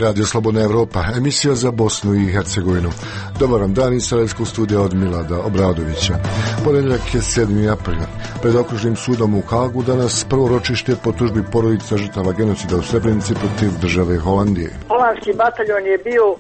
Radio Slobodna Evropa, emisija za Bosnu i Hercegovinu. Dobar vam dan iz Sarajevskog studija od Milada Obradovića. Ponedjeljak je 7. april. Pred okružnim sudom u Hagu danas prvo ročište po tužbi porodica žrtava genocida u Srebrenici protiv države Holandije. Holandski bataljon je bio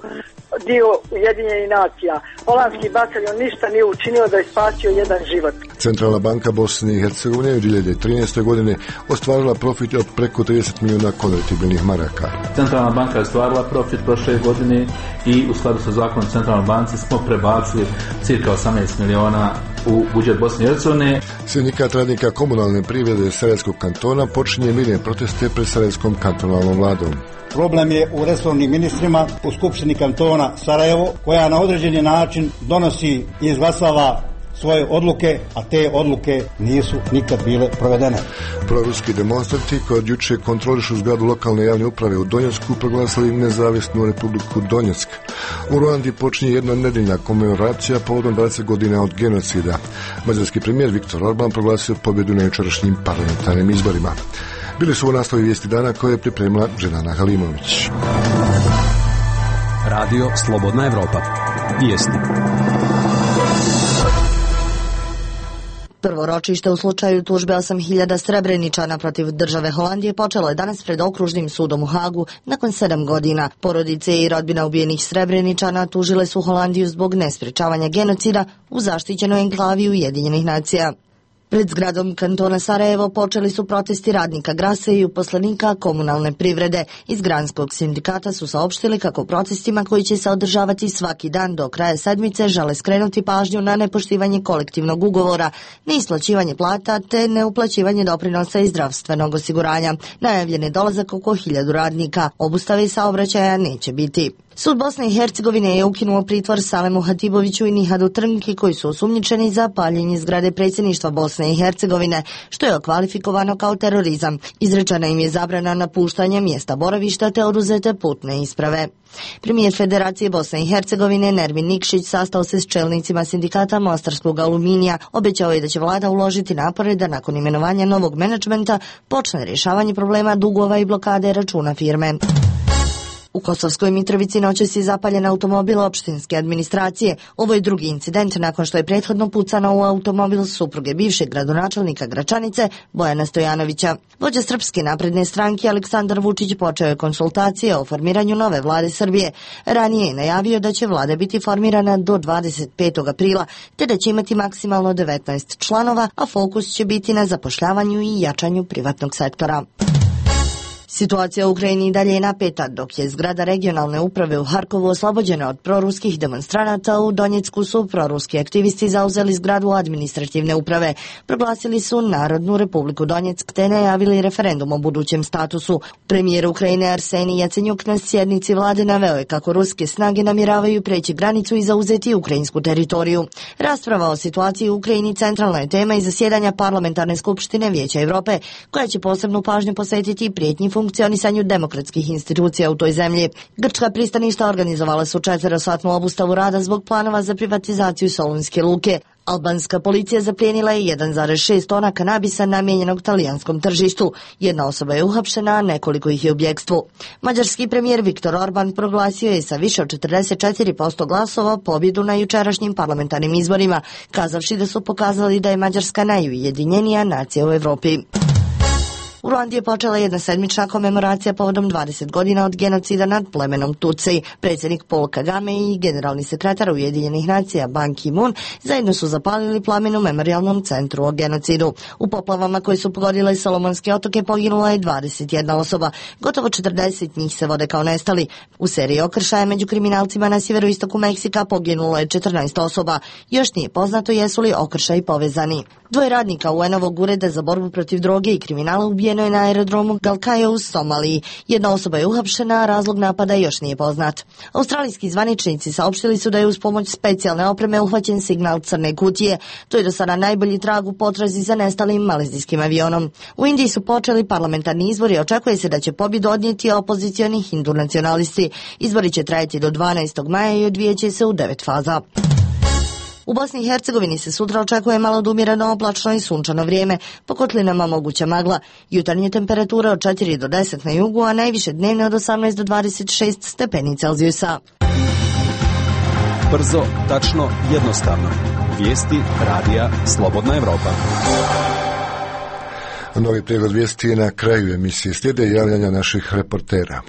dio Ujedinjenih nacija. Holandski bataljon ništa nije učinio da je spasio jedan život. Centralna banka Bosne i Hercegovine u 2013. godine ostvarila profit od preko 30 milijuna konvertibilnih maraka. Centralna banka je ostvarila profit prošle godine i u skladu sa zakonom Centralnoj banci smo prebacili cirka 18 milijuna u budžet Bosne i Hercegovine. Sindikat radnika komunalne privrede Sarajevskog kantona počinje mirne proteste pred Sarajevskom kantonalnom vladom. Problem je u resornim ministrima u Skupštini kantona Sarajevo, koja na određeni način donosi i izglasava svoje odluke, a te odluke nisu nikad bile provedene. Proruski demonstranti koji od juče kontrolišu zgradu lokalne javne uprave u Donjecku proglasili nezavisnu republiku Donjeck. U Ruandi počinje jedna nedeljna komemoracija povodom 20 godina od genocida. Mađarski premijer Viktor Orban proglasio pobjedu na jučerašnjim parlamentarnim izborima. Bili su u nastavi vijesti dana koje je pripremila Ženana Halimović. Radio Slobodna Evropa. Vijesti. Prvo ročište u slučaju tužbe 8.000 Srebreničana protiv države Holandije počelo je danas pred okružnim sudom u Hagu nakon 7 godina. Porodice i rodbina ubijenih Srebreničana tužile su Holandiju zbog nesprečavanja genocida u zaštićenoj enklavi Ujedinjenih nacija. Pred zgradom kantona Sarajevo počeli su protesti radnika Grase i uposlenika komunalne privrede. Iz Granskog sindikata su saopštili kako protestima koji će se održavati svaki dan do kraja sedmice žele skrenuti pažnju na nepoštivanje kolektivnog ugovora, neisplaćivanje plata te neuplaćivanje doprinosa i zdravstvenog osiguranja. Najavljen je dolazak oko 1000 radnika. Obustave saobraćaja neće biti. Sud Bosne i Hercegovine je ukinuo pritvor Salemu Hatiboviću i Nihadu Trnki koji su osumnjičeni za paljenje zgrade predsjedništva Bosne i Hercegovine, što je okvalifikovano kao terorizam. Izrečena im je zabrana napuštanja mjesta boravišta te oduzete putne isprave. Premijer Federacije Bosne i Hercegovine Nermin Nikšić sastao se s čelnicima sindikata Mostarskog aluminija. Obećao je da će vlada uložiti napore da nakon imenovanja novog menadžmenta počne rješavanje problema dugova i blokade računa firme. U Kosovskoj Mitrovici noćas je zapaljen automobil opštinske administracije. Ovo je drugi incident nakon što je prethodno pucano u automobil supruge bivšeg gradonačelnika Gračanice Bojana Stojanovića. Vođa Srpske napredne stranke Aleksandar Vučić počeo je konsultacije o formiranju nove vlade Srbije. Ranije je najavio da će vlada biti formirana do 25. aprila, te da će imati maksimalno 19 članova, a fokus će biti na zapošljavanju i jačanju privatnog sektora. Situacija u Ukrajini i dalje je napeta, dok je zgrada regionalne uprave u Harkovu oslobođena od proruskih demonstranata. U Donjecku su proruski aktivisti zauzeli zgradu administrativne uprave. Proglasili su Narodnu republiku Donjeck te najavili referendum o budućem statusu. Premijer Ukrajine Arsenij Jacenjuk na sjednici vlade naveo je kako ruske snage namjeravaju preći granicu i zauzeti ukrajinsku teritoriju. Rasprava o situaciji u Ukrajini centralna je tema i zasjedanja parlamentarne skupštine Vijeća Europe, koja će posebnu pažnju posvetiti prijetnji funkcionisanju demokratskih institucija u toj zemlji. Grčka pristaništa organizovala su 4-satnu obustavu rada zbog planova za privatizaciju Solunske luke. Albanska policija zaplijenila je 1,6 tona kanabisa namijenjenog talijanskom tržištu. Jedna osoba je uhapšena, a nekoliko ih je u bjekstvu. Mađarski premijer Viktor Orban proglasio je sa više od 44% glasova pobjedu na jučerašnjim parlamentarnim izborima, kazavši da su pokazali da je Mađarska najujedinjenija nacija u Evropi. U Ruandi je počela jedna sedmična komemoracija povodom 20 godina od genocida nad plemenom Tutsi. Predsjednik Paul Kagame i generalni sekretar Ujedinjenih nacija Ban Ki-moon zajedno su zapalili plamen u memorijalnom centru o genocidu. U poplavama koje su pogodile Solomonske otoke poginula je 21 osoba, gotovo 40 njih se vode kao nestali. U seriji okršaja među kriminalcima na sjeveroistoku Meksika poginulo je 14 osoba. Još nije poznato jesu li okršaji povezani. 2 radnika UN-ovog ureda za borbu protiv droge i kriminala ubijeno je na aerodromu Galkayo u Somaliji. Jedna osoba je uhapšena, a razlog napada još nije poznat. Australijski zvaničnici saopštili su da je uz pomoć specijalne opreme uhvaćen signal crne kutije. To je do sada najbolji trag u potrazi za nestalim malezijskim avionom. U Indiji su počeli parlamentarni izbori i očekuje se da će pobjedu odnijeti opozicioni hindu nacionalisti. Izbori će trajati do 12. maja i odvijeće se u 9 faza. U Bosni i Hercegovini se sutra očekuje malo do umjereno oblačno i sunčano vrijeme, po kotlinama moguća magla. Jutarnje temperature od 4 do 10 na jugu, a najviše dnevne od 18 do 26 stepeni Celzijusa. Brzo, tačno, jednostavno. Vijesti radija Slobodna Evropa. Novi pregled vijesti je na kraju emisije. Slijede javljanja naših reportera.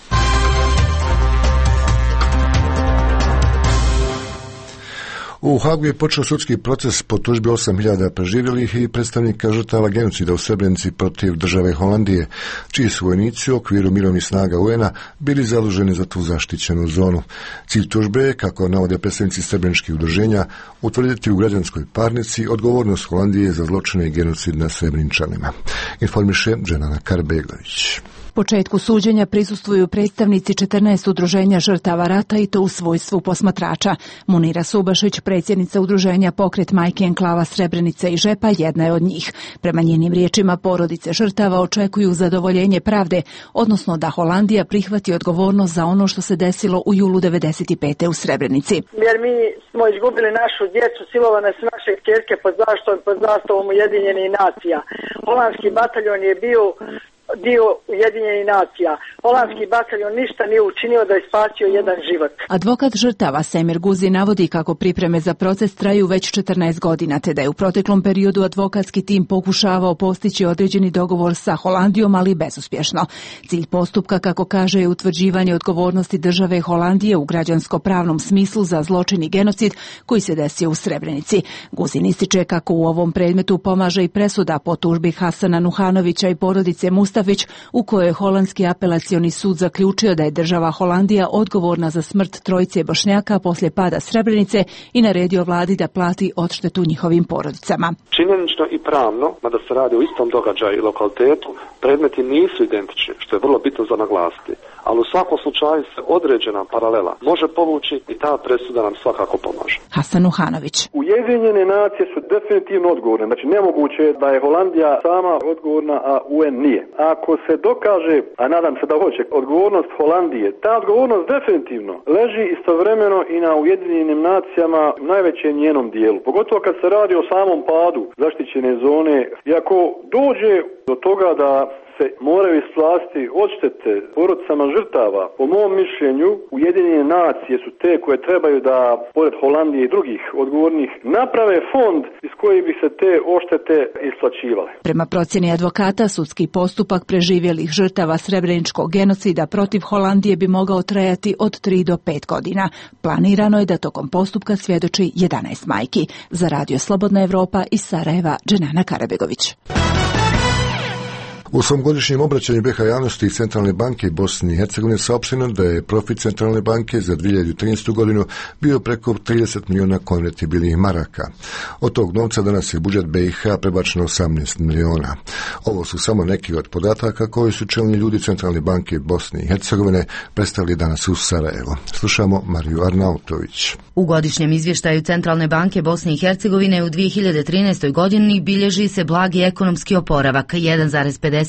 U Hagu je počeo sudski proces po tužbi 8.000 preživjelih i predstavnika žrtava genocida u Srebrenici protiv države Holandije, čiji su vojnici u okviru mirovnih snaga UN-a bili zaduženi za tu zaštićenu zonu. Cilj tužbe je, kako navode predstavnici srebreničkih udruženja, utvrditi u građanskoj parnici odgovornost Holandije za zločine i genocid nad Srebreničanima. Informiše Dženana Karbeglović. Početku suđenja prisustvuju predstavnici 14 udruženja žrtava rata i to u svojstvu posmatrača. Munira Subašić, predsjednica udruženja Pokret Majke Enklava Srebrenice i Žepa, jedna je od njih. Prema njenim riječima, porodice žrtava očekuju zadovoljenje pravde, odnosno da Holandija prihvati odgovornost za ono što se desilo u julu 1995. u Srebrenici. Jer mi smo izgubili našu djecu, silovane su naše kćerke pod zastavom Ujedinjenih nacija. Holandski bataljon je bio dio Ujedinjenih nacija. Holandski bataljon ništa nije učinio da je spasio jedan život. Advokat žrtava Semir Guzi navodi kako pripreme za proces traju već 14 godina, te da je u proteklom periodu advokatski tim pokušavao postići određeni dogovor sa Holandijom, ali bezuspješno. Cilj postupka, kako kaže, je utvrđivanje odgovornosti države Holandije u građansko-pravnom smislu za zločin i genocid koji se desio u Srebrenici. Guzin ističe kako u ovom predmetu pomaže i presuda po tužbi Hasana Nuhanovića i porodice Mustafić, u kojoj je holandski apelacioni sud zaključio da je država Holandija odgovorna za smrt trojice Bošnjaka poslije pada Srebrenice i naredio vladi da plati odštetu njihovim porodicama. Činjenično i pravno, mada se radi o istom događaju i lokalitetu, predmeti nisu identični, što je vrlo bitno za naglasiti. Ali u svakom slučaju se određena paralela može povući i ta presuda nam svakako pomaže. Hasan Nuhanović. Ujedinjene nacije su definitivno odgovorne. Znači nemoguće je da je Holandija sama odgovorna, a UN nije. Ako se dokaže, a nadam se da hoće, odgovornost Holandije, ta odgovornost definitivno leži istovremeno i na Ujedinjenim nacijama u najvećem njenom dijelu. Pogotovo kad se radi o samom padu zaštićene zone. I ako dođe do toga da se moraju isplatiti odštete porodicama žrtava, po mom mišljenju Ujedinjene nacije su te koje trebaju da, pored Holandije i drugih odgovornih, naprave fond iz kojih bi se te odštete isplaćivale. Prema procjeni advokata, sudski postupak preživjelih žrtava srebreničkog genocida protiv Holandije bi mogao trajati od 3 do 5 godina. Planirano je da tokom postupka svjedoči 11 majki. Za Radio Slobodna Evropa iz Sarajeva, Dženana Karabegović. U svom godišnjem obraćanju BiH javnosti Centralne banke Bosne i Hercegovine saopšteno da je profit Centralne banke za 2013. godinu bio preko 30 milijuna konvertibilnih maraka. Od tog novca danas je budžet BiH prebačen 18 milijuna. Ovo su samo neki od podataka koji su čelni ljudi Centralne banke Bosne i Hercegovine predstavili danas u Sarajevo. Slušamo Mariju Arnautović. U godišnjem izvještaju Centralne banke Bosne i Hercegovine u 2013. godini bilježi se blagi ekonomski oporavak, 1,51%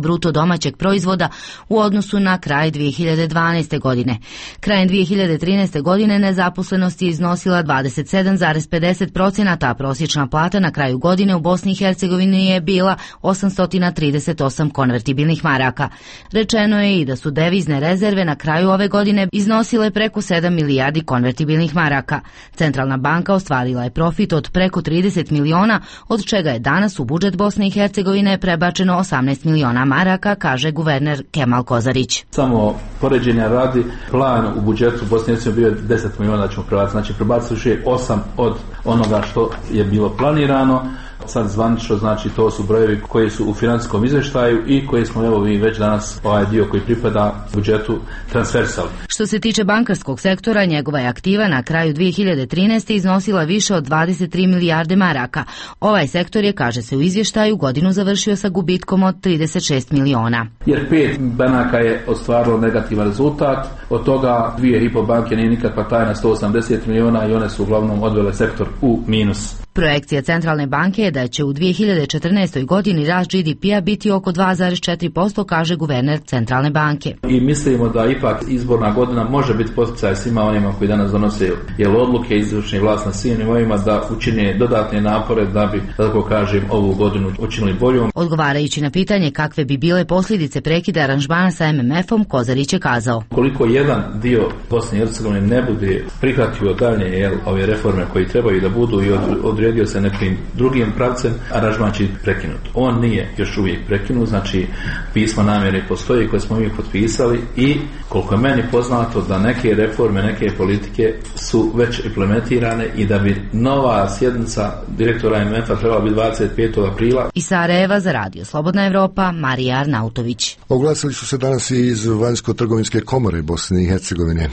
bruto domaćeg proizvoda u odnosu na kraj 2012. godine. Krajem 2013. godine nezaposlenost je iznosila 27,50%, a prosječna plata na kraju godine u Bosni i Hercegovini je bila 838 konvertibilnih maraka. Rečeno je i da su devizne rezerve na kraju ove godine iznosile preko 7 milijardi konvertibilnih maraka. Centralna banka ostvarila je profit od preko 30 miliona, od čega je danas u budžet Bosne i Hercegovine prebačeno 18 miliona maraka, kaže guverner Kemal Kozarić. Samo poređenja radi, plan u budžetu Bosne i Hercegovine bio 10 miliona da ćemo prebaciti, znači prebacili 8 od onoga što je bilo planirano. Sad zvanično, znači to su brojevi koji su u financijskom izvještaju i koji smo evo vi već danas ovaj dio koji pripada budžetu transversali. Što se tiče bankarskog sektora, njegova je aktiva na kraju 2013. iznosila više od 23 milijarde maraka. Ovaj sektor je, kaže se u izvještaju, godinu završio sa gubitkom od 36 miliona. Jer 5 banaka je ostvarilo negativan rezultat, od toga 2,5 banke nije nikakva tajna, 180 miliona i one su uglavnom odvele sektor u minus. Projekcija Centralne banke je da će u 2014. godini rast GDP-a biti oko 2,4%, kaže guverner Centralne banke. I mislimo da ipak izborna godina može biti poticaj svima onima koji danas donose odluke izvršne vlasti na svim nivoima da učine dodatne napore da bi, tako kažem, ovu godinu učinili boljom. Odgovarajući na pitanje kakve bi bile posljedice prekida aranžmana sa MMF-om, Kozarić je kazao: koliko jedan dio Bosne i Hercegovine ne bude prihvatio dalje ove reforme koji trebaju da budu i odredio se nekim drugim pravcem, aranžman će prekinut. On nije još uvijek prekinut, znači pismo namjere postoji koje smo mi potpisali i koliko je meni poznato da neke reforme, neke politike su već implementirane i da bi nova sjednica direktora MMF-a trebala biti 25. aprila. Iz Sarajeva za Radio Slobodna Evropa, Marija Arnautović. Oglasili su se danas i iz Vanjsko-trgovinske komore Bosne i Hercegovine.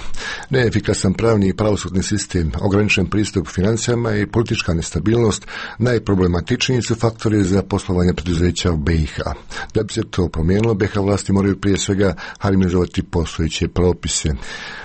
Neefikasan pravni i pravosudni sistem, ograničen pristup financijama i politička nestabilnost najproblematičniji su faktori za poslovanje preduzeća u BiH. Da bi se to promijenilo, BiH vlasti moraju prije svega harmonizovati postojeće propise.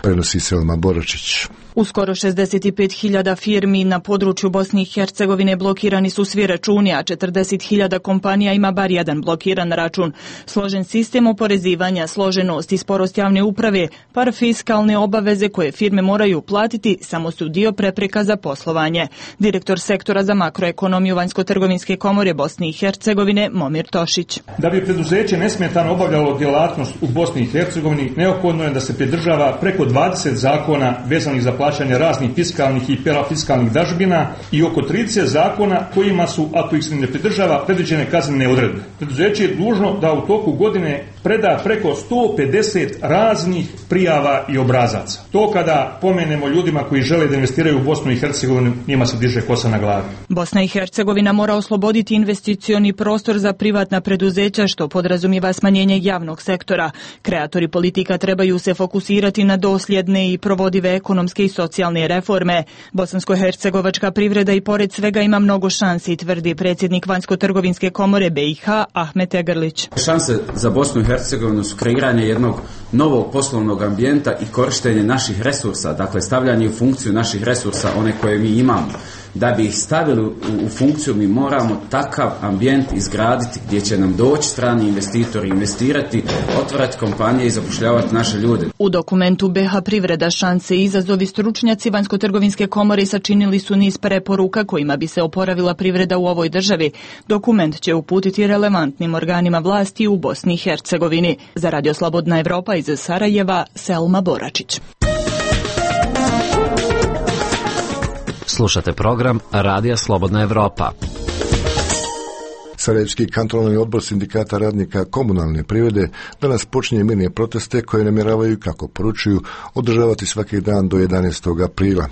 Prenosi Selma Boračić. Uskoro 65.000 firmi na području Bosne i Hercegovine blokirani su svi računi, a 40.000 kompanija ima bar jedan blokiran račun. Složen sistem oporezivanja, složenost i sporost javne uprave, parafiskalne obaveze koje firme moraju platiti samo su dio prepreka za poslovanje. Direktor sektora za makroekonomiju Vanjsko-trgovinske komore Bosne i Hercegovine Momir Tošić. Da bi preduzeće nesmetano obavljalo djelatnost u Bosni i Hercegovini, neophodno je da se pridržava preko 20 zakona vezanih za plaćanje raznih fiskalnih i parafiskalnih dažbina i oko 30 zakona kojima su, ako ih se ne pridržava, predviđene kaznene odredbe. Preduzeće je dužno da u toku godine preda preko 150 raznih prijava i obrazaca. To kada pomenemo ljudima koji žele da investiraju u Bosnu i Hercegovinu, njima se diže kosa na glavi. Bosna i Hercegovina mora osloboditi investicioni prostor za privatna preduzeća, što podrazumijeva smanjenje javnog sektora. Kreatori politika trebaju se fokusirati na dosljedne i provodive ekonomske i socijalne reforme. Bosansko-hercegovačka privreda i pored svega ima mnogo šansi, tvrdi predsjednik Vanjsko-trgovinske komore BiH Ahmet Egrlić. Šanse za Bosnu i Hercegovinu su kreiranje jednog novog poslovnog ambijenta i korištenje naših resursa, dakle stavljanje u funkciju naših resursa, one koje mi imamo. Da bi ih stavili u funkciju, mi moramo takav ambijent izgraditi gdje će nam doći strani investitori, investirati, otvarati kompanije i zapošljavati naše ljude. U dokumentu BiH privreda, šanse i izazovi stručnjaci Vanjsko-trgovinske komore sačinili su niz preporuka kojima bi se oporavila privreda u ovoj državi. Dokument će uputiti relevantnim organima vlasti u Bosni i Hercegovini. Za Radio Slobodna Evropa iz Sarajeva, Selma Boračić. Slušate program Radija Slobodna Evropa. Sarajevski kantonalni odbor sindikata radnika komunalne privrede danas počinje mirne proteste koje namjeravaju, kako poručuju, održavati svaki dan do 11. aprila.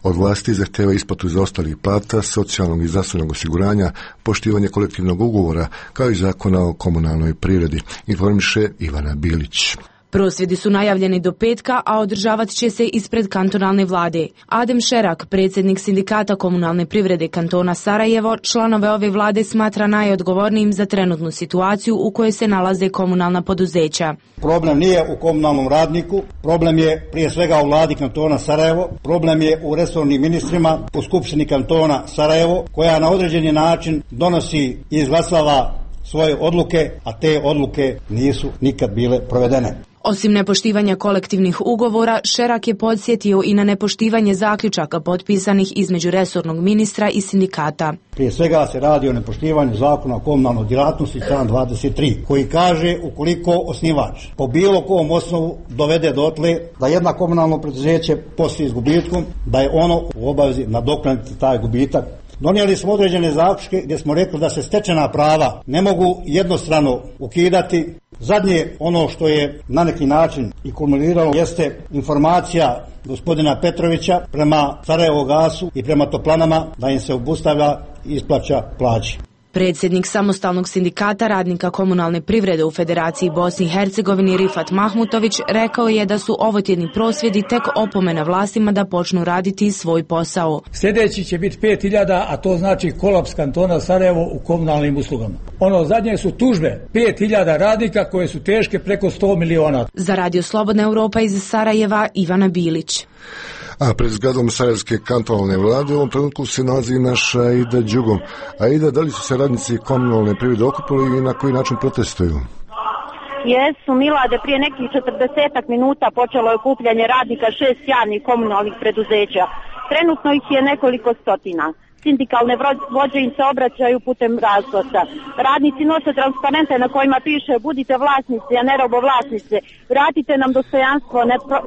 Od vlasti zahteva isplatu zaostalih plata, socijalnog i zdravstvenog osiguranja, poštivanje kolektivnog ugovora, kao i zakona o komunalnoj privredi, informiše Ivana Bilić. Prosvjedi su najavljeni do petka, a održavat će se ispred kantonalne vlade. Adem Šerak, predsjednik sindikata komunalne privrede kantona Sarajevo, članove ove vlade smatra najodgovornijim za trenutnu situaciju u kojoj se nalaze komunalna poduzeća. Problem nije u komunalnom radniku, problem je prije svega u vladi kantona Sarajevo, problem je u resornim ministrima, u skupštini kantona Sarajevo, koja na određeni način donosi i izglasava svoje odluke, a te odluke nisu nikad bile provedene. Osim nepoštivanja kolektivnih ugovora, Šerak je podsjetio i na nepoštivanje zaključaka potpisanih između resornog ministra i sindikata. Prije svega se radi o nepoštivanju zakona o komunalnoj djelatnosti član 23, koji kaže ukoliko osnivač po bilo kom osnovu dovede dotle da jedna komunalno preduzeće posluje s gubitkom, da je ono u obavezi nadoknaditi taj gubitak. Donijeli smo određene zaključke gdje smo rekli da se stečena prava ne mogu jednostrano ukidati. Zadnje ono što je na neki način i kulminiralo jeste informacija gospodina Petrovića prema Sarajevogasu i prema toplanama da im se obustavlja isplaća plaći. Predsjednik samostalnog sindikata radnika komunalne privrede u Federaciji Bosni i Hercegovini Rifat Mahmutović rekao je da su ovotjedni prosvjedi tek opomena vlastima da počnu raditi svoj posao. Sljedeći će biti 5.000, a to znači kolaps kantona Sarajevo u komunalnim uslugama. Ono zadnje su tužbe 5.000 radnika koje su teške preko 100 miliona. Za Radio Slobodna Evropa iz Sarajeva, Ivana Bilić. A pred zgradom sarajevske kantonalne vlade u ovom trenutku se nalazi naša Aida Đugom. Aida, da li su se radnici komunalne privrede okupili i na koji način protestuju? Jesu, Milade, prije nekih 40 minuta počelo je okupljanje radnika 6 javnih komunalnih preduzeća. Trenutno ih je nekoliko stotina. Sindikalne vođe im se obraćaju putem razglasa. Radnici nose transparente na kojima piše budite vlasnici, a ne robovlasnici. Vratite nam dostojanstvo,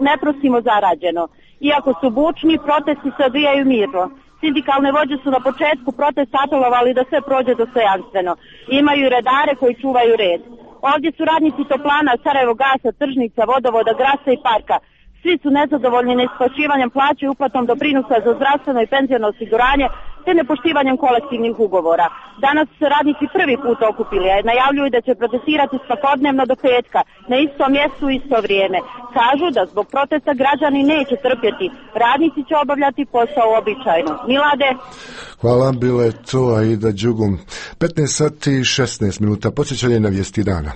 ne prosimo zarađeno. Iako su bučni, protesti se odvijaju mirno. Sindikalne vođe su na početku protesta apelovali da sve prođe dostojanstveno. Imaju redare koji čuvaju red. Ovdje su radnici toplana, Sarajevo gasa, tržnica, vodovoda, grasa i parka. Svi su nezadovoljni neisplaćivanjem plaće i uplatom doprinosa za zdravstveno i penziono osiguranje te nepoštivanjem kolektivnih ugovora. Danas su se radnici prvi put okupili, a najavljuju da će protestirati svakodnevno do petka, na istom mjestu u isto vrijeme. Kažu da zbog protesta građani neće trpjeti. Radnici će obavljati posao uobičajeno. Milade. Hvala, bilo je to Aida Đugom. 15 sati i 16 minuta. Podsjećanje na vijesti dana.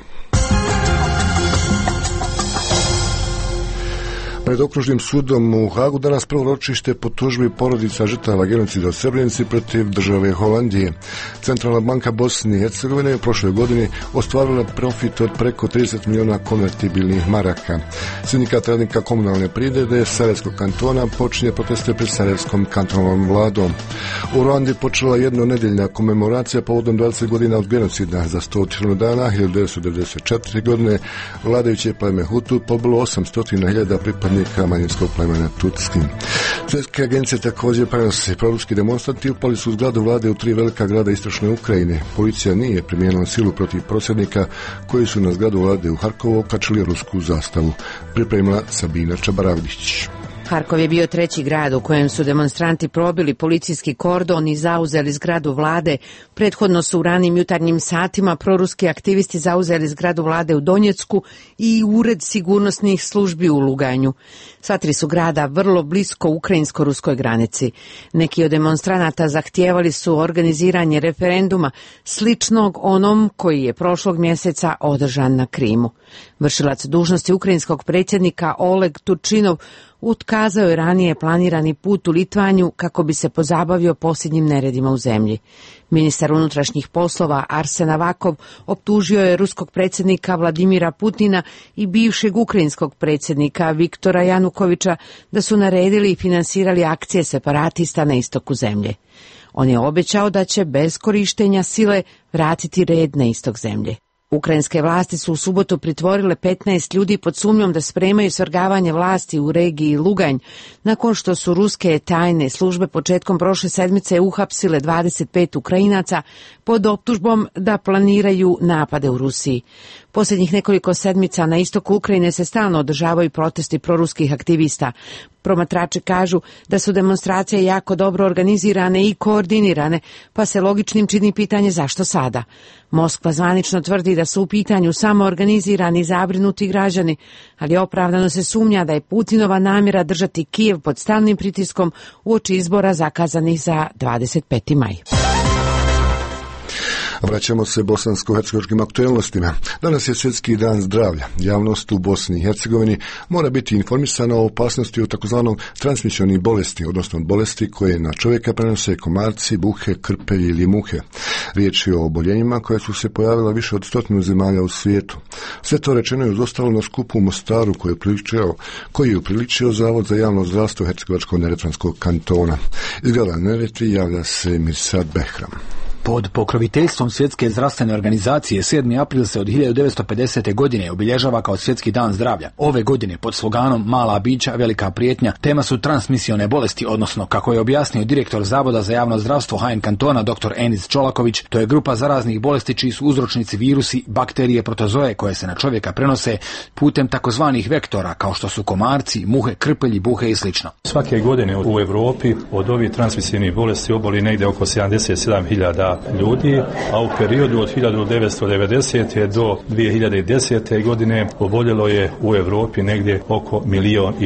Pred okružnim sudom u Hagu danas prvo ročište po tužbi porodica žrtava genocida u Srebrenici protiv države Holandije. Centralna banka Bosne i Hercegovine u prošloj godini ostvarila profit od preko 30 miliona konvertibilnih maraka. Sindikat radnika komunalne privrede Sarajevskog kantona počinje proteste pred Sarajevskom kantonalnom vladom. U Ruandi počela jednonedeljna komemoracija povodom 20 godina od genocida. Za 100 dana 1994. godine vladajuće pleme Hutu pobilo 800.000 pripadnika manjinskog plemena Tutski. Svjetske agencije također prenose proruski demonstranti upali su u zgradu vlade u 3 velika grada istočne Ukrajine. Policija nije primijenila silu protiv prosvjednika koji su na zgradu vlade u Harkovu okačili rusku zastavu. Pripremila Sabina Čabaravdić. Harkov je bio 3. grad u kojem su demonstranti probili policijski kordon i zauzeli zgradu vlade. Prethodno su u ranim jutarnjim satima proruski aktivisti zauzeli zgradu vlade u Donjecku i ured sigurnosnih službi u Luganju. Sva 3 su grada vrlo blisko ukrajinsko-ruskoj granici. Neki od demonstranata zahtijevali su organiziranje referenduma sličnog onom koji je prošlog mjeseca održan na Krimu. Vršilac dužnosti ukrajinskog predsjednika Oleg Turčinov otkazao je ranije planirani put u Litvaniju kako bi se pozabavio posljednjim neredima u zemlji. Ministar unutrašnjih poslova Arsen Avakov optužio je ruskog predsjednika Vladimira Putina i bivšeg ukrajinskog predsjednika Viktora Janukovića da su naredili i finansirali akcije separatista na istoku zemlje. On je obećao da će bez korištenja sile vratiti red na istok zemlje. Ukrajinske vlasti su u subotu pritvorile 15 ljudi pod sumnjom da spremaju svrgavanje vlasti u regiji Luganj, nakon što su ruske tajne službe početkom prošle sedmice uhapsile 25 Ukrajinaca pod optužbom da planiraju napade u Rusiji. Posljednjih nekoliko sedmica na istoku Ukrajine se stalno održavaju protesti proruskih aktivista. Promatrači kažu da su demonstracije jako dobro organizirane i koordinirane, pa se logičnim čini pitanje zašto sada. Moskva zvanično tvrdi da su u pitanju samo organizirani i zabrinuti građani, ali opravdano se sumnja da je Putinova namjera držati Kijev pod stalnim pritiskom uoči izbora zakazanih za 25. maj. Vraćamo se bosansko-hercegovačkim aktualnostima. Danas je Svjetski dan zdravlja. Javnost u Bosni i Hercegovini mora biti informisana o opasnosti od takozvanog transmisionih bolesti, odnosno bolesti koje na čovjeka prenose komarci, buhe, krpelji ili muhe. Riječ je o oboljenjima koja su se pojavila više od 100 zemalja u svijetu. Sve to rečeno je uz ostalo na skupu u Mostaru koji je upriličio Zavod za javno zdravstvo Hercegovačko-neretvanskog kantona. Iz grada Neretvi javlja se Mirsad Behram. Pod pokroviteljstvom Svjetske zdravstvene organizacije 7. april se od 1950. godine obilježava kao Svjetski dan zdravlja. Ove godine pod sloganom Mala bića, velika prijetnja tema su transmisione bolesti, odnosno kako je objasnio direktor Zavoda za javno zdravstvo HN kantona dr. Enis Čolaković, to je grupa zaraznih bolesti čiji su uzročnici virusi, bakterije, protozoe koje se na čovjeka prenose putem takozvanih vektora kao što su komarci, muhe, krpelji, buhe i sl. Svake godine u Europi od ovih transmisivnih bolesti oboli negdje oko 77.000 ljudi, a u periodu od 1990. do 2010. godine oboljelo je u Europi negdje oko 1,5 miliona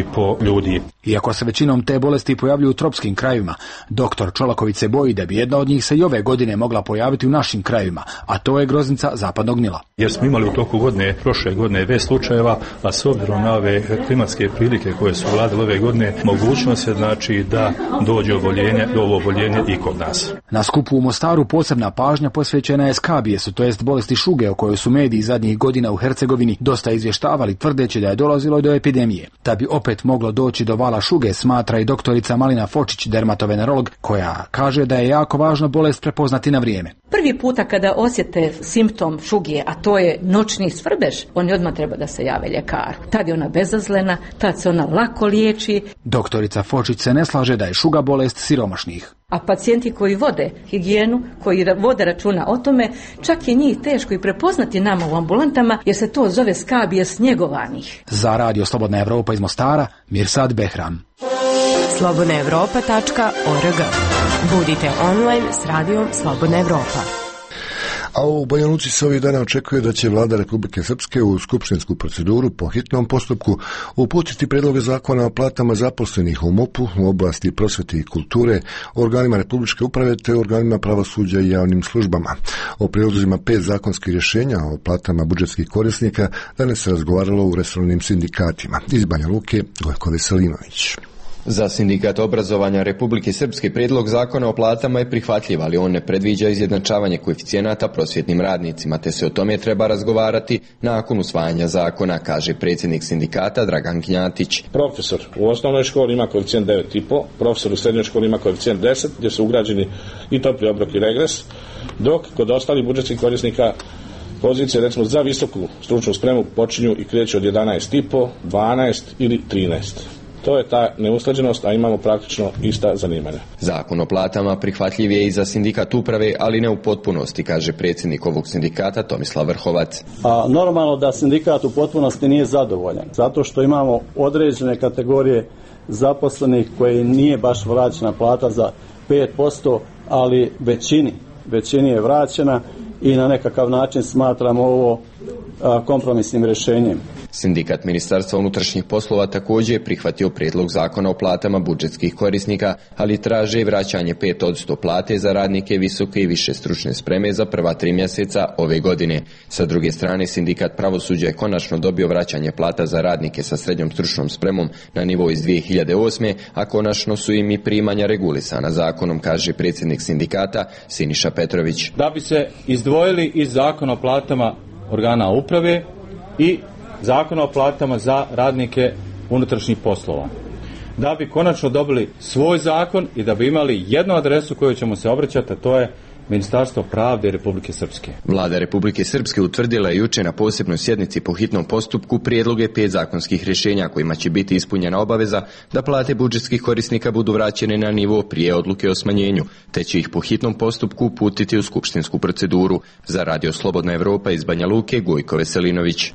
ljudi. Iako se većinom te bolesti pojavljuju u tropskim krajevima, doktor Čolaković se boji da bi jedna od njih se i ove godine mogla pojaviti u našim krajevima, a to je groznica zapadnog Nila. Jer smo imali u toku godine, prošle godine, već slučajeva, a s obzirom na ove klimatske prilike koje su vladile ove godine, mogućnost je znači da dođe do oboljenja i kod nas. Na skupu u Mostaru posebna pažnja posvećena je skabijesu, to jest bolesti šuge o kojoj su mediji zadnjih godina u Hercegovini dosta izvještavali, tvrdeći da je dolazilo do epidemije. Da bi opet moglo doći do vala šuge, smatra i doktorica Malina Fočić, dermatovenerolog, koja kaže da je jako važno bolest prepoznati na vrijeme. Prvi puta kada osjete simptom šuge, a to je noćni svrbež, oni odmah treba da se jave ljekaru. Tad je ona bezazlena, tad se ona lako liječi. Doktorica Fočić se ne slaže da je šuga bolest siromašnih. A pacijenti koji vode higijenu, koji vode računa o tome, čak je njih teško i prepoznati nama u ambulantama, jer se to zove skabijes njegovanih. Za Radio Slobodna Evropa iz Mostara, Mirsad Behram. slobodnaevropa.org. Budite online s radijom Slobodna Evropa. A u Banja Luci se ovih dana očekuje da će vlada Republike Srpske u skupštinsku proceduru po hitnom postupku uputiti predloge zakona o platama zaposlenih u MUP-u, u oblasti prosvete i kulture, organima republičke uprave te organima pravosuđa i javnim službama. O prijedlozima 5 zakonskih rješenja o platama budžetskih korisnika danas se razgovaralo u resornim sindikatima. Iz Banja Luke, Gojko Veselinović. Za Sindikat obrazovanja Republike Srpske prijedlog zakona o platama je prihvatljiv, ali on ne predviđa izjednačavanje koeficijenata prosvjetnim radnicima, te se o tome treba razgovarati nakon usvajanja zakona, kaže predsjednik sindikata Dragan Gnjatić. Profesor u osnovnoj školi ima koeficijent 9,5, profesor u srednjoj školi ima koeficijent 10, gdje su ugrađeni i topli obrok i regres, dok kod ostalih budžetskih korisnika pozicije, recimo za visoku stručnu spremu, počinju i kreću od 11,5, 12 ili 13. To je ta neusklađenost, a imamo praktično ista zanimanja. Zakon o platama prihvatljiv je i za sindikat uprave, ali ne u potpunosti, kaže predsjednik ovog sindikata Tomislav Vrhovac. A normalno da sindikat u potpunosti nije zadovoljan, zato što imamo određene kategorije zaposlenih koje nije baš vraćena plata za 5%, ali većini je vraćena i na nekakav način smatramo ovo kompromisnim rješenjem. Sindikat Ministarstva unutrašnjih poslova također je prihvatio prijedlog zakona o platama budžetskih korisnika, ali traže vraćanje 5% plate za radnike visoke i više stručne spreme za prva 3 mjeseca ove godine. Sa druge strane, sindikat pravosuđa je konačno dobio vraćanje plata za radnike sa srednjom stručnom spremom na nivo iz 2008. a konačno su im i primanja regulisana zakonom, kaže predsjednik sindikata Siniša Petrović. Da bi se izdvojili iz zakona o platama organa uprave i zakona o platama za radnike unutrašnjih poslova. Da bi konačno dobili svoj zakon i da bi imali jednu adresu koju ćemo se obraćati, a to je Ministarstvo pravde Republike Srpske. Vlada Republike Srpske utvrdila je jučer na posebnoj sjednici po hitnom postupku prijedloge 5 zakonskih rješenja kojima će biti ispunjena obaveza da plate budžetskih korisnika budu vraćene na nivo prije odluke o smanjenju, te će ih po hitnom postupku uputiti u skupštinsku proceduru. Za Radio Slobodna Evropa iz Banja Luke, Gojko Veselinović.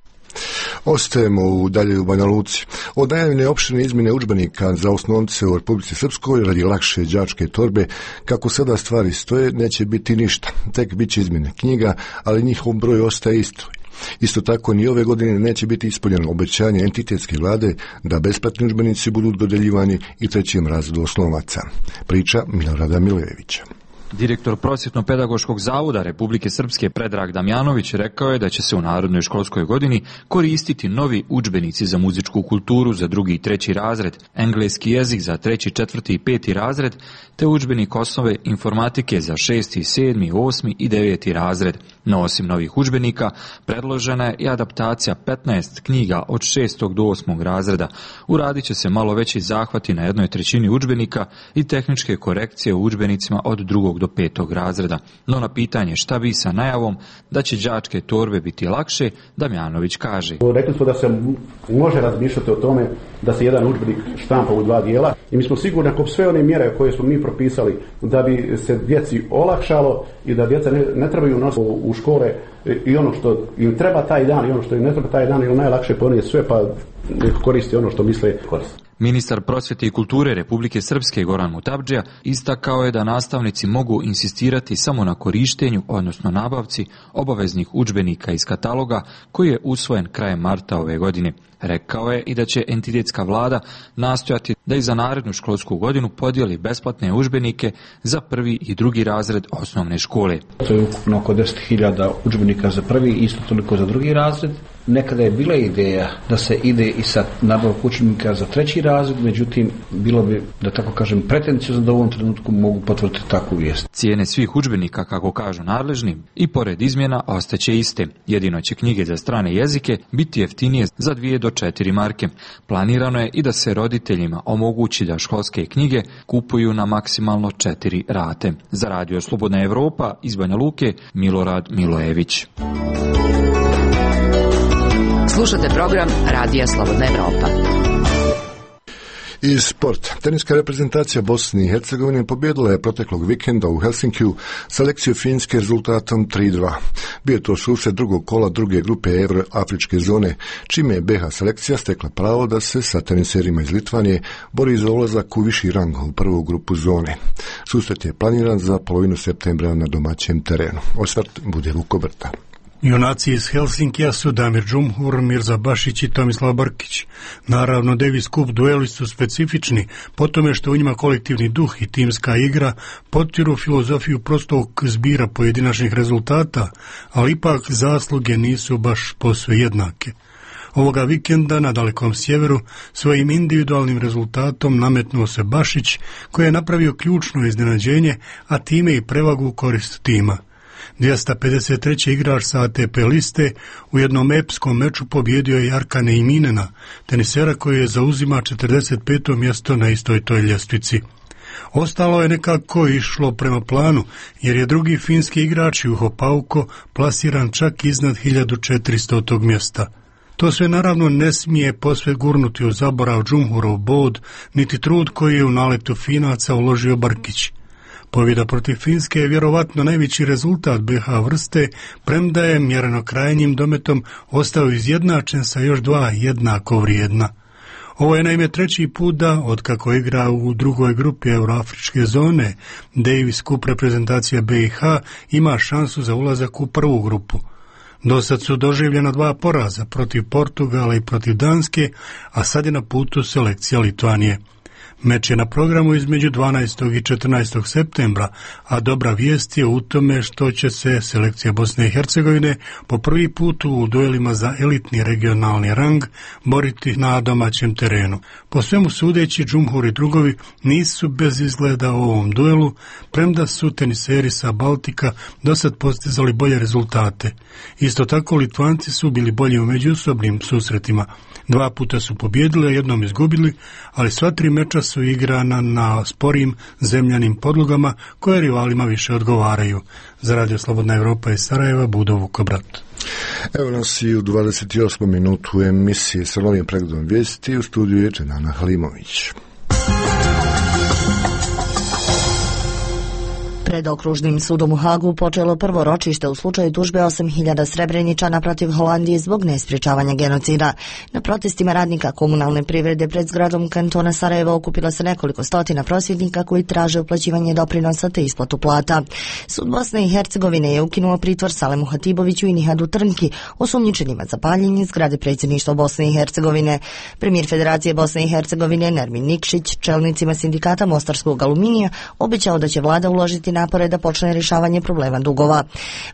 Ostajemo u dalje u Banja Luci. Od najavljene opširne izmjene udžbenika za osnovce u Republici Srpskoj radi lakše đačke torbe, kako sada stvari stoje, neće biti ništa. Tek bit će izmjene knjiga, ali njihov broj ostaje isto. Isto tako ni ove godine neće biti ispunjeno obećanje entitetske vlade da besplatni udžbenici budu dodeljivani i 3. razredu osnovaca. Priča Milorada Milejevića. Direktor Prosvjetno-pedagoškog zavoda Republike Srpske Predrag Damjanović rekao je da će se u narednoj školskoj godini koristiti novi udžbenici za muzičku kulturu za 2. i 3. razred, engleski jezik za 3., 4. i 5. razred, te udžbenik osnove informatike za 6., 7., 8. i 9. razred. No osim novih udžbenika, predložena je i adaptacija 15 knjiga od 6. do 8. razreda. Uradit će se malo veći zahvati na 1/3 udžbenika i tehničke korekcije u udžbenicima od 2. do 5. razreda. No na pitanje šta bi sa najavom da će đačke torbe biti lakše, Damjanović kaže. Rekli smo da se može razmišljati o tome da se jedan udžbenik štampa u 2 dijela i mi smo sigurni ako sve one mjere koje smo mi propisali da bi se djeci olakšalo i da djeca ne trebaju nositi u škole i ono što im treba taj dan i ono što im ne treba taj dan ili najlakše ponijeti sve pa koristi ono što misle koristiti. Ministar prosvjete i kulture Republike Srpske Goran Mutabdžija istakao je da nastavnici mogu insistirati samo na korištenju, odnosno nabavci obaveznih udžbenika iz kataloga koji je usvojen krajem marta ove godine. Rekao je i da će entitetska vlada nastojati da i za narednu školsku godinu podijeli besplatne udžbenike za prvi i drugi razred osnovne škole. To je ukupno oko 10.000 udžbenika za prvi i isto toliko za drugi razred. Nekada je bila ideja da se ide i sa nabavkom udžbenika za treći razred, međutim bilo bi, da tako kažem, pretenciozno da u ovom trenutku mogu potvrditi takvu vijest. Cijene svih udžbenika, kako kažu nadležni, i pored izmjena ostaće iste. Jedino će knjige za strane jezike biti jeftinije za 2 do 4 marke. Planirano je i da se roditeljima omogući da školske knjige kupuju na maksimalno 4 rate. Za Radio Slobodna Evropa iz Banja Luke, Milorad Milojević. Slušate program Radija Slobodna Evropa. Iz sporta. Teniska reprezentacija Bosne i Hercegovine pobjedila je proteklog vikenda u Helsinkiju selekciju Finske rezultatom 3-2. Bio je to susret drugog kola druge grupe Euroafričke zone, čime je BiH selekcija stekla pravo da se sa teniserima iz Litvanije bori za ulazak u viši rang u prvu grupu zone. Susret je planiran za polovinu septembra na domaćem terenu. Osvrt bude Vukobrta. Junaci iz Helsinkija su Damir Džumhur, Mirza Bašić i Tomislav Brkić. Naravno, Davis Cup dueli su specifični po tome što u njima kolektivni duh i timska igra potiru filozofiju prostog zbira pojedinačnih rezultata, ali ipak zasluge nisu baš posve jednake. Ovoga vikenda na dalekom sjeveru svojim individualnim rezultatom nametnuo se Bašić, koji je napravio ključno iznenađenje, a time i prevagu u korist tima. 253. igrač sa ATP liste u jednom epskom meču pobjedio je Jarkane Iminena, tenisera koji je zauzima 45. mjesto na istoj toj ljestvici. Ostalo je nekako išlo prema planu, jer je drugi finski igrač Juho Pauko plasiran čak iznad 1400. mjesta. To sve naravno ne smije posve gurnuti u zaborav Džumhurov bod, niti trud koji je u naletu Finaca uložio Brkić. Pobjeda protiv Finske je vjerovatno najveći rezultat BiH vrste, premda je mjereno krajnjim dometom ostao izjednačen sa još 2 jednako vrijedna. Ovo je naime treći put da, otkako igra u drugoj grupi Euroafričke zone, Davis Cup reprezentacija BiH ima šansu za ulazak u prvu grupu. Dosad su doživljena 2 poraza protiv Portugala i protiv Danske, a sad je na putu selekcija Litvanije. Meč je na programu između 12. i 14. septembra, a dobra vijest je u tome što će se selekcija Bosne i Hercegovine po prvi put u duelima za elitni regionalni rang boriti na domaćem terenu. Po svemu sudeći, Džumhur i drugovi nisu bez izgleda u ovom duelu, premda su teniseri sa Baltika dosad postizali bolje rezultate. Isto tako, Litvanci su bili bolji u međusobnim susretima. 2 puta su pobjedili, a jednom izgubili, ali sva 3 meča su igrana na sporim zemljanim podlogama koje rivalima više odgovaraju. Za Radio Slobodna Evropa iz Sarajeva, Budo Vukobrat. Evo nas i u 28. minutu emisije sa novim pregledom vijesti. U studiju je Dženana Halimović. Pred okružnim sudom u Hagu počelo prvo ročište u slučaju tužbe 8.000 Srebreničana protiv Holandije zbog nesprječavanja genocida. Na protestima radnika komunalne privrede pred zgradom kantona Sarajevo okupila se nekoliko stotina prosvjednika koji traže uplaćivanje doprinosa te isplatu plata. Sud Bosne i Hercegovine je ukinuo pritvor Salemu Hatiboviću i Nihadu Trnki, osumnjičenima za paljenje zgrade predsjedništva Bosne i Hercegovine. Premijer Federacije Bosne i Hercegovine Nermin Nikšić čelnicima sindikata Mostarskog aluminija obećao da će vlada uložiti napore da počne rješavanje problema dugova.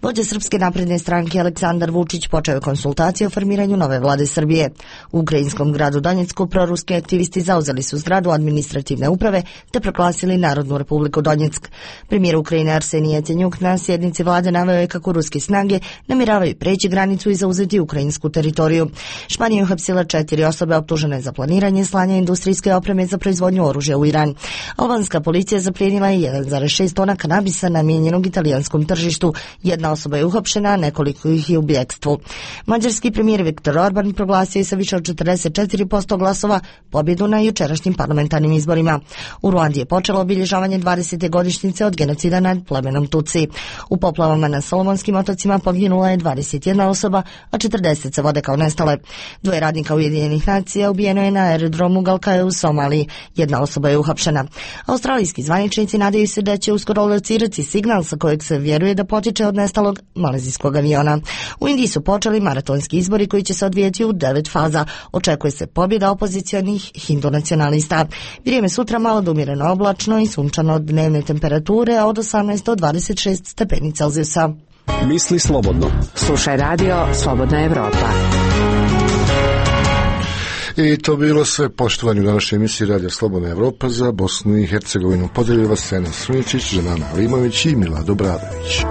Vođa Srpske napredne stranke Aleksandar Vučić počeo je konsultacije o formiranju nove vlade Srbije. U ukrajinskom gradu Donjecku proruski aktivisti zauzeli su zgradu administrativne uprave te proglasili Narodnu republiku Donjeck. Premijer Ukrajine Arsenij Jacenjuk na sjednici vlade naveo je kako ruske snage namjeravaju preći granicu i zauzeti ukrajinsku teritoriju. Španija je uhapsila 4 osobe optužene za planiranje slanja industrijske opreme za proizvodnju oružja u Iran. Albanska policija zaplijenila je 1,6 tona kanabisa namijenjenog italijanskom tržištu. 1 osoba je uhapšena, nekoliko ih je u bjekstvu. Mađarski premijer Viktor Orban proglasio je sa više od 44% glasova pobjedu na jučerašnjim parlamentarnim izborima. U Ruandi je počelo obilježavanje 20. godišnjice od genocida nad plemenom Tutsi. U poplavama na Solomonskim otocima poginula je 21 osoba, a 40 se vode kao nestale. 2 radnika Ujedinjenih nacija ubijeno je na aerodromu Galkaje u Somaliji. 1 osoba je uhapšena. Australijski zvaničnici nadaju se da će uskoro locirati signal sa kojeg se vjeruje da potiče od nestalog malezijskog aviona. U Indiji su počeli maratonski izbori koji će se odvijeti u 9 faza. Očekuje se pobjeda opozicionih hindu nacionalista. Vrijeme sutra malo do umjereno oblačno i sunčano od dnevne temperature, a od 18 do 26 stepeni Celzijusa. Misli slobodno. Slušaj radio Slobodna Evropa. I to bilo sve, poštovanje u današnjoj emisiji Radija Slobodna Evropa za Bosnu i Hercegovinu. Podelili vas Sena Suničić, Žanana Limović i Milado Bradović.